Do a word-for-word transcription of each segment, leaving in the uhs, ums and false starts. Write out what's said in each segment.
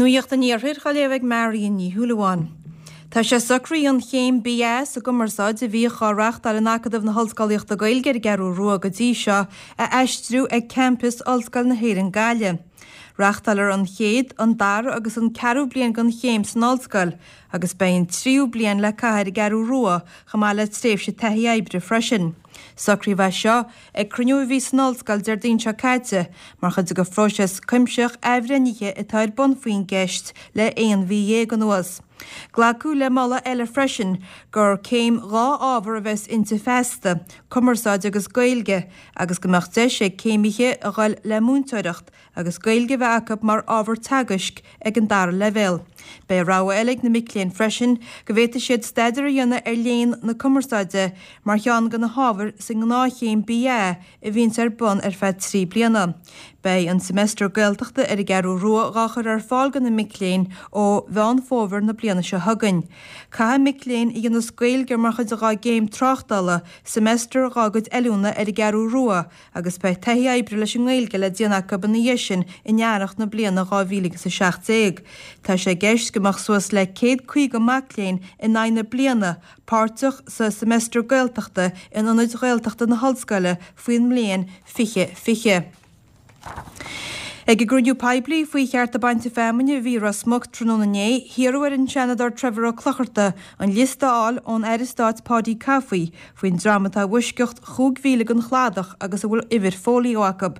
Nuacht an Iarthair á léamh ag Marion Ní Shúilleabháin. Tá sé socraithe an chéim BA sa gcumarsáid a bhíodh á reáchtáil in Acadamh na hOllscolaíochta Gaeilge ar an gCeathrú Rua go dtí seo a aistriú ag campas Ollscoil na hÉireann Gaillimh. Reáchtálfar an chéad, an dara agus an ceathrú bliain den chéim san ollscoil, agus beidh an tríú bliain le caitheamh ar an gCeathrú Rua chomh maith le tréimhse taithí oibre freisin. Socraíodh é seo ag cruinniú a bhí san ollscoil Déardaoin seo caite, mar chuid de phróiseas cuimsitheach athbhreithnithe atá ar bun faoin gceist le aon mhí dhéag anuas. Glacadh le moladh eile freisin gur céim dhá ábhar a bheas inti feasta, cumarsáid agus Gaeilge, agus go mbeadh deis ag céimithe a dhul le múinteoireacht agus Gaeilge a bheith acu mar ábhar teagaisc ag an dara leibhéal. Beidh rogha eile ag na mic léinn freisin go bhféadfaidh siad staidéar a dhéanamh ar léann na cumarsáide mar cheann de na hábhair sa ngnáthchéim BA a bhíonns ar bun ar feadh trí bliana. Beidh an Semester Gaeltachta ar an gCeathrú Rua dhá chur ar fáil do na mic léinn ó Mheán Fómhair na bliana seo chugainn. Caithfidh mic léinn a dhéanas Gaeilge mar chuid dhá gcéim tráchtála semester dhá gcuid oiliúna ar an gCeathrú Rua agus beidh taithí oibre leis an nGaeilge le déanamh acu ina dhiaidh sin in earrach na bliana dhá mhíle agus a seacht déag. Tá sé i gceist go mbeadh suas le céad caoga mac léinn in aghaidh na bliana páirteach sa Semester Gaeltachta in ionaid Ghaeltachta na hOllscoile faoin mbliain fiche fiche. Ag an gcruinniú poiblí faoi chearta bainte feamainne a bhí i Ros Muc tráthnóna inné, hiarradh ar an Seanadóir Trevor Ó Clochartaigh an liosta a fháil ón Aire Stáit Paudie Coffey faoin dream atá i bhfoisceacht chúig mhíle den chladach agus a bhfuil uimhir fóilió acu.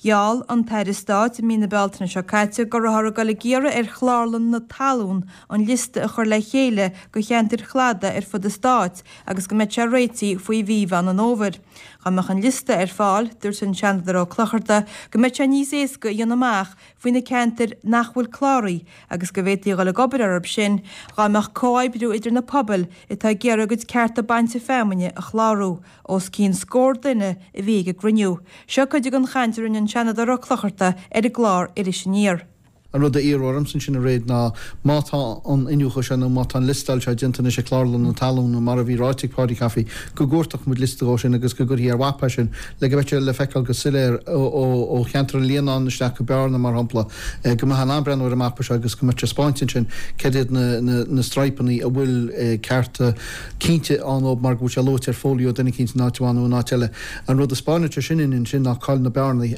Gheall an tAire Stáit i mí na Bealtaine seo caite go rabhthar ag dul ag iarraidh ar Chlárlann na Talún an liosta a chur le chéile do cheantair chladaigh ar fud an stáit agus go mbeadh sé réitithe faoi mhí Mheán an Fhómhair. Dá mbeadh an liosta ar fáil, dúirt an Seanadóir Ó Clochartaigh go mbeadh sé níos éasca a dhéanamh amach faoi na ceantair nach bhfuil cláraithe agus go bhféadfaí a dhul ag obair orthu sin dá mbeadh comhoibriú idir na pobail atá ag iarraidh a gcuid cearta bainte feamainne a chlárú. Os cionn scór duine a bhí ag an gcruinniú. Seo cuid den chaint a rinne an Seanadóir Ó Clochartaigh ar an gclár Iris Aniar. An rud a iarradh ormsa ansin aréir ná má tá an iniúchadh seo nó má tá an liostáil seo déanta anois ag Clárlann na Talún nó mar a bhí ráite ag Paudie Coffey go gcuartódh muid liosta dhó sin agus go gcuirfí ar mhapa é sin le go mbeadh sé le feiceáil go soiléir ó cheantar an Líonáin isteach go Bearna mar shampla go mbeifeá in ann breathnú ar an mapa seo agus go mbeadh sé spáinte ansin cad iad na straidhpeanna a bhfuil cearta cinnte ann dóibh mar go bhfuil sé luaite ar fóilió duine eicínt in áit amháin nó in áit eile. An rud a spáineann sé sin ansin ná cá'il na bearnaí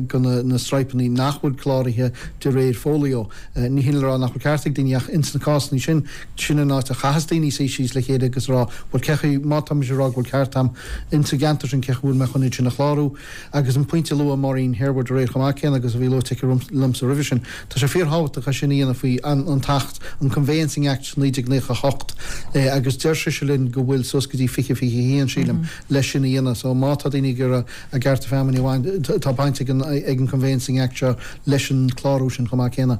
go na straidhpeanna nach bhfuil cláraithe de réir fóilió. Ní hin le rá nach bhfuil ceart ag daoine ach ins na cásanna sin, sin an áit a chaitheas daoine suí síos le chéile agus rá bhuel cé chaoi, má tá mise ag rá go bhfuil ceart a'm ins an gceantar sin cé chaoi bhfuil mé chun iad sin a chlárú. Agus an pointe a luaigh Maureen Harewood aréir chomh maith céanna agus a bhí luaite aici liomsa roimhe sin, tá sé fíorthábhachtach é sin a dhéanamh faoi an tAcht, an Conveyancing Act naoi déag naocha a hocht agus deir sise linn go bhfuil suas go dtí fiche fiche a haon, sílim, leis sin a dhéanamh. So má tá daoine ag iarraidh a gcearta feamainne a bhaint, tá baint ag an Conveyancing Act seo leis an chlárú sin chomh maith céanna.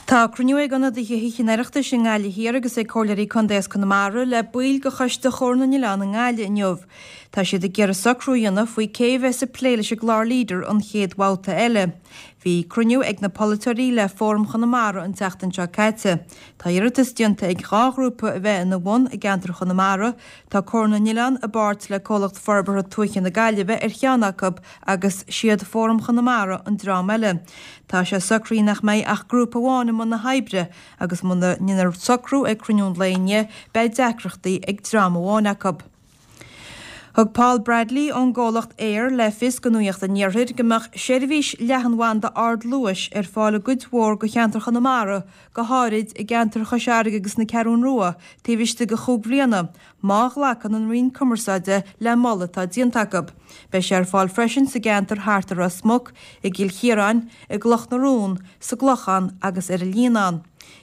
Tá cruinniú ag ionadaithe Thithe an Oireachtais i nGaillimh Thiar agus ag comhairleoirí contae as Conamara le baill de Choiste Chomhar na nOileán i nGaillimh inniu. Tá siad ag iarraidh socrú a dhéanamh faoi cé a bheas ag plé leis an gclár Leader an chéad bhabhta eile. Bhí cruinniú ag na polaiteoirí le Fóram Chonamara an tseachtain seo caite. Tá iarratas déanta ag dhá ghrúpa a bheith ina bhun i gceantar Chonamara. Tá Comhar na nOileán i bpáirt le Comhlacht Forbartha Tuaithe na Gaillimhe ar cheann acu agus siad Fóram Chonamara an dream eile. Tá sé socraithe nach mbeidh ach grúpa amháin i mbun na hoibre agus muna ndéanfar socrú ag cruinniú an lae inniu beidh deacrachtaí ag dream amháin acu. Thug Paul Bradley ón gcomhlacht Eir le fios do Nuacht an Iarthair go mbeadh seirbhís leathanbhanda ardluais ar fáil i gcuid mhór de cheantar Chonamara, go háirid i gceantar Chois Fharraige agus na Ceathrún Rua, taobh istigh de chúig bhliana, má ghlacann an Roinn Cumarsáide le moladh atá déanta acu. Beidh sé ar fáil freisin sa gceantar thart ar Ros Muc, i gCill Chiaráin, i gCloch na Rón, sa gClochán agus ar an Líonán.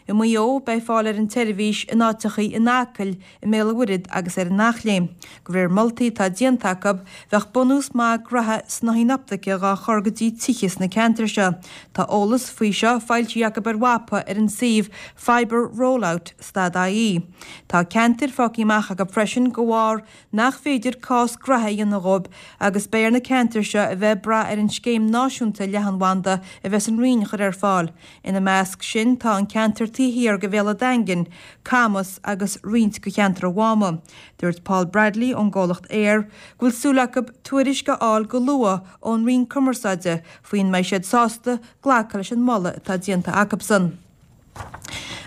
I Maigh Eo, beidh fáil ar an tseirbhís in áiteachaí in Acaill, i mBéal an Mhuirthead agus ar an Eachléim. De réir moltaí atá déanta acu, bheadh bunús maith graithe snáithín optaice dhá chur go dtí tithe sna ceantair seo. Tá eolas faoi seo foilsithe acu ar mhapa ar an suíomh Fibre Rollout stad IE. Tá ceantair fágtha amach acu freisin de bharr nach féidir cás graithe a dhéanamh dhóibh agus beidh ar na ceantair seo a bheith ag brath ar an scéim náisiúnta leathanbhanda a bheas an Roinn a chur ar fáil. Ina measc sin tá an ceantar ceantar taobh thiar de Bhéal an Daingin, Camas agus roinnt de cheantar an Mháma. Dúirt Paul Bradley ón gcomhlacht Eir go bhfuil súil acu tuairisc a fháil go luath ón Roinn Cumarsáide faoin mbeidh siad sásta glacadh leis an moladh atá déanta acusan.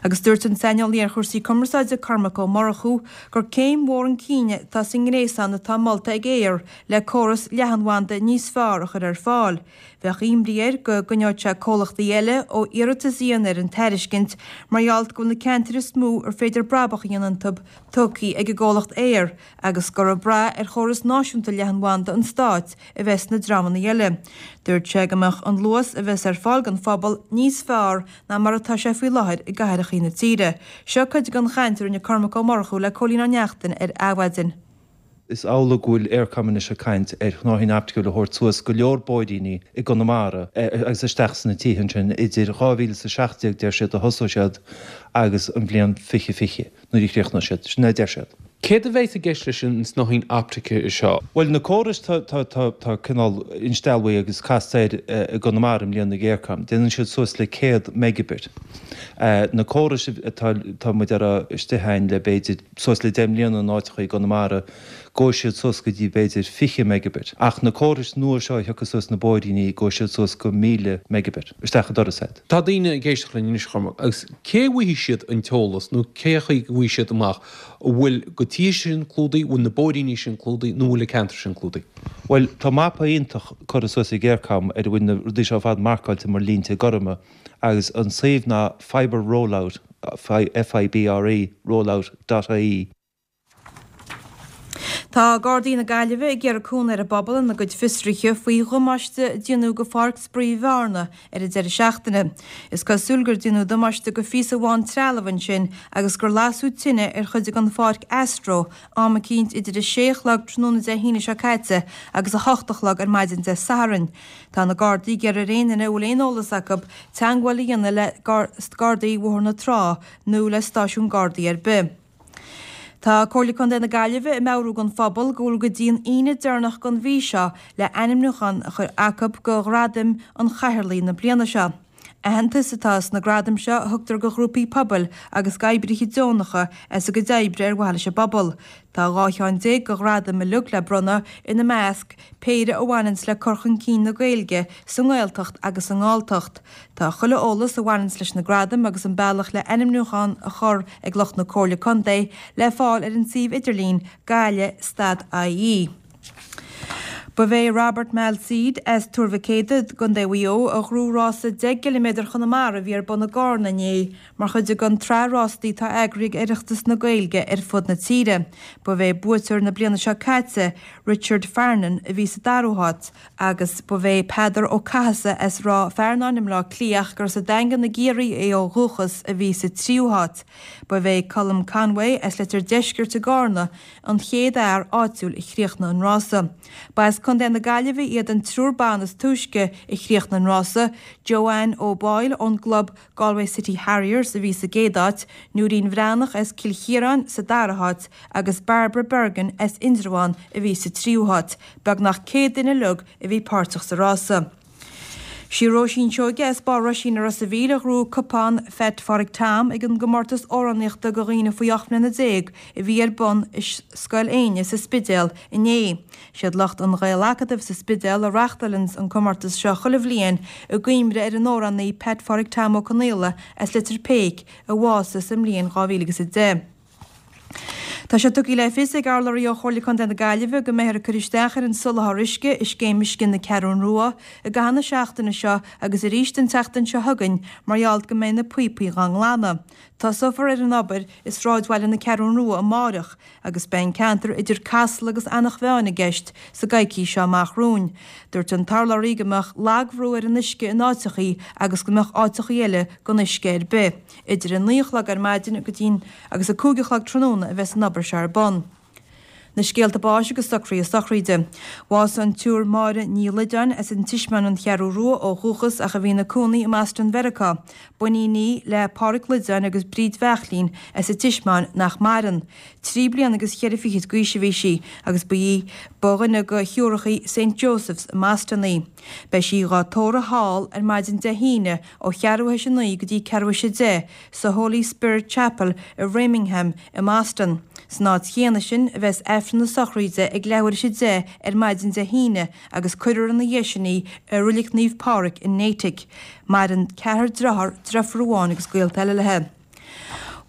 Agus dúirt an saineolaí ar chúrsaí cumarsáide Cormac Ó Murchú gur céim mhór chun cinn atá sa ngréasán atá molta ag Eir le córas leathanbhanda níos fearr a chur ar fáil. Bheadh imní air go gcoinneodh sé comhlachtaí eile ó iarratas a dhéanamh ar an tairiscint mar gheall go bhfuil na ceantair is mó ar féidir brabach a dhéanamh iontu tugtha ag an gcomhlacht Eir agus gur ag brath ar chóras náisiúnta leathanbhanda an stáit a bheas na dreamanna eile. Dúirt sé go mbeadh an luas a bheas ar fáil don phobal níos fearr ná mar atá sé faoi láthair i gcathracha na tíre. Seo cuid den chaint a rinne Cormac Ó Murchú le Cóilín Ó Neachtain ar Adhmhaidin. Is amhlaidh go bhfuil Eircom anois ag caint ar shnáithín opticiúil a thabhairt suas go leor bóithríní i gConamara agus isteach sna tithe ansin idir dhá mhíle is a seacht déag deir siad a thosóidh siad agus an bhliain fiche fiche nuair a chríochnóidh siad. Sin é a deir siad. Céard a bheas i gceist leis an snáithín optaice seo? Bhuel, na córais tá tá tá tá cineál insteallta agus casta air i gConamara i mbliana ag Eircom. Déanann siad suas le céad megabit. Na córais atá tá muid ar istigh againn le b'fhéidir suas le deich mbliana in áiteacha i gConamara, gabhfaidh siad suas go dtí b'fhéidir fiche megabit. Ach na córais nua seo a thiocfaidh suas na bóithríní, gabhfaidh siad suas go míle megabit isteach an doras agat. Tá daoine ag éisteacht linn anois, Chormac, agus cé a bhfaighidh siad an t-eolas nó cé chaoi go bhfaighidh siad amach an bhfuil na tithe sin clúdaithe, bhfuil na bóithríní sin clúdaithe nó bhfuil an ceantar sin clúdaithe? Bhuel, tá mapa iontach curtha suas ag Eircom ar a bhfuil na rudaí seo ar fad marcáilte mar línte gorma agus an suíomh ná fibre rollout, F I B R E, rollout dot I E. Tá Gardaí na Gaillimhe ag iarraidh cúnamh ar an bpobal ina gcuid fiosruithe faoi dhamáiste a déanadh go Pháirc Spraoi Bhearna ar an deireadh seachtaine. Is cosúil gur déanadh damáiste go phíosa amháin trealamh ansin agus gur lasadh tine ar chuid den pháirc Astro am eicínt idir a sé a chlog tráthnóna Dé hAoine seo caite agus a hocht a chlog ar maidin Dé Sathairn. Tá na Gardaí ag iarraidh ar aon duine a bhfuil aon eolas acu teagmháil a dhéanamh le Gardaí Bhóthar na Trá nó le stáisiún Gardaí ar bith. Tá Comhairle Contae na Gaillimhe ag meabhrú don phobal go bhfuil go dtí an Aoine deireanach den mhí seo le ainmniúchán a chur acu go Ghradaim an Chathaoirligh na bliana seo. Aitheantas atá sna gradaim seo a thugtar go ghrúpaí pobail agus d'oibrithe deonacha as a gcuid oibre ar mhaithe leis an bpobal. Tá dhá cheann déag de ghradaim uilig le bronnadh ina measc péire a bhaineanns le cur chun cinn na Gaeilge sa nGaeltacht agus sa nGalltacht. Tá chuile eolas a bhaineanns leis na gradaim agus an bealach le ainmniúchán a chur ag lucht na Comhairle Contae le fáil ar an suíomh idirlín Gaillimh stad I E. Ba é Robert Malseed as Tuar Mhic Éadaigh i gContae Mhaigh Eo a ghnóthaigh rása deich gciliméadar Chonamara a bhí ar bun i gCarna inné mar chuid den tsraith rástaí atá eagraithe ag Oireachtas na Gaeilge ar fud na tíre. Ba é buaiteoir na bliana seo caite Richard Farnan a bhí sa dara háit agus ba é Peadar Ó Cathasaigh as Ráth Fearnáin i mBleá Cliath gur sa Daingean i gCiarraí é ó dhúchas a bhí sa tríú háit. Ba é Colm Conway as Leitir Deiscirt i gCarna an chéad fhear áitiúil a chríochnaigh an rása. Ba as Contae na Gaillimhe iad an triúr ban is túisce a chríochnaigh an rása, Joanne O'Boyle ón gclub Galway City Harriers a bhí sa gcéad áit, Nóirín Bhreathnach as Cill Chiaráin sa dara háit agus Barbara Bergen as Indreabhán a bhí sa tríú háit, beagnach céad duine uilig a bhí páirteach sa rása. Sí Róisín Seoige as Barr Roisín i Ros an Mhíl a ghnóthaigh cupán Pheait Phádraig Tom ag an gcomórtas amhránaíochta do dhaoine faoi ocht mbliana déag a bhí ar bun i Scoil Éinne sa Spidéal inné. Siad lucht an Ghaelacadaimh sa Spidéal a reáchtálann an comórtas seo chuile bhliain i gcuimhne ar an amhránaí Pat Phádraig Tom Ó Conaola as Leitir Péic a bhásaigh sa mbliain dhá mhíle agus a deich. Tá sé tugtha le fios ag urlabhraí ó Chomhairle Contae na Gaillimhe go mbeifear ag cur isteach ar an soláthar uisce i scéim uisce na Ceathrún Rua i gcaitheamh na seachtaine seo agus arís an tseachtain seo chugainn mar gheall go mbeidh na píopaí á nglanadh. Tosófar ar an obair i sráidbhaile na Ceathrún Rua amárach agus beidh an ceantar idir Casla agus Eanach Mheáin i gceist sa gcoicís seo amach romhainn. Dúirt an t-urlabhraí go mbeadh lagbhrú ar an uisce in áiteachaí agus go mbeadh áiteachaí eile gan uisce ar bith. Idir a naoi a chlog ar maidin go dtí agus a cúig a chlog tráthnóna a bheas an obair seo ar bun. Na scéalta báis agus socruithe sochraide. Bhásaigh an tSiúr Máire Ní Loideáin as an Tismeáin an Cheathrú Rua ó dhúchas ach a bhí ina cónaí i mBoston Mheiriceá. B'iníon í le Pádraig Loideáin agus Bríd Bheachlín as an Tismeáin nach maireann. Trí bliana agus cheithre fichid d'aois a bhí sí agus ba í ba dhuine de shiúrachaí Saint Joseph's i mBoston í. Beidh sí dhá tórramh thall ar maidin Dé hAoine ó cheathrú théis a naoi go dtí ceathrú théis a deich sa Holy Spirit Chapel i Ramingham i mBoston. San áit chéanna sin a bheas Aifreann na sochraide ag leathuair théis a deich ar maidin Dé hAoine agus cuirfear ina dhiaidh sin í i Reilig Naomh Pádraig in Natick. Maireann ceathrar dearthár, deirfiúr amháin agus gaolta eile léi.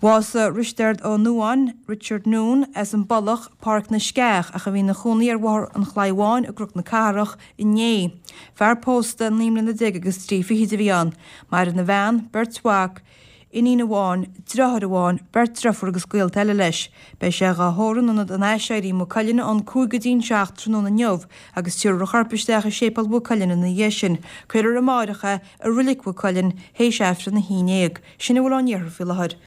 Bhásaigh Risteard Ó Nuáin, Richard Noone, as an bPollach, Páirc na Sceach, ach a bhí ina chónaí ar Bhóthar an Chlaí Bháin i gCnoc na Cathrach inné. Fear pósta naoi mbliana déag agus trí fichid a bhí ann. Maireann a bhean, beirt mhac, iníon amháin, deartháir amháin, beirt deirfiúr agus gaolta eile leis. Beidh sé dhá thórramh in Ionad an Aiséirí i Maigh Cuilinn ón cúig go dtí an seacht tráthnóna inniu agus tabharfar a chorp isteach i Séipéal Mhaigh Cuilinn ina dhiaidh sin. Cuirfear amárach é i Reilig Mhaigh Cuilinn théis Aifreann a haon déag. Sin a bhfuil ón iarthar faoi láthair.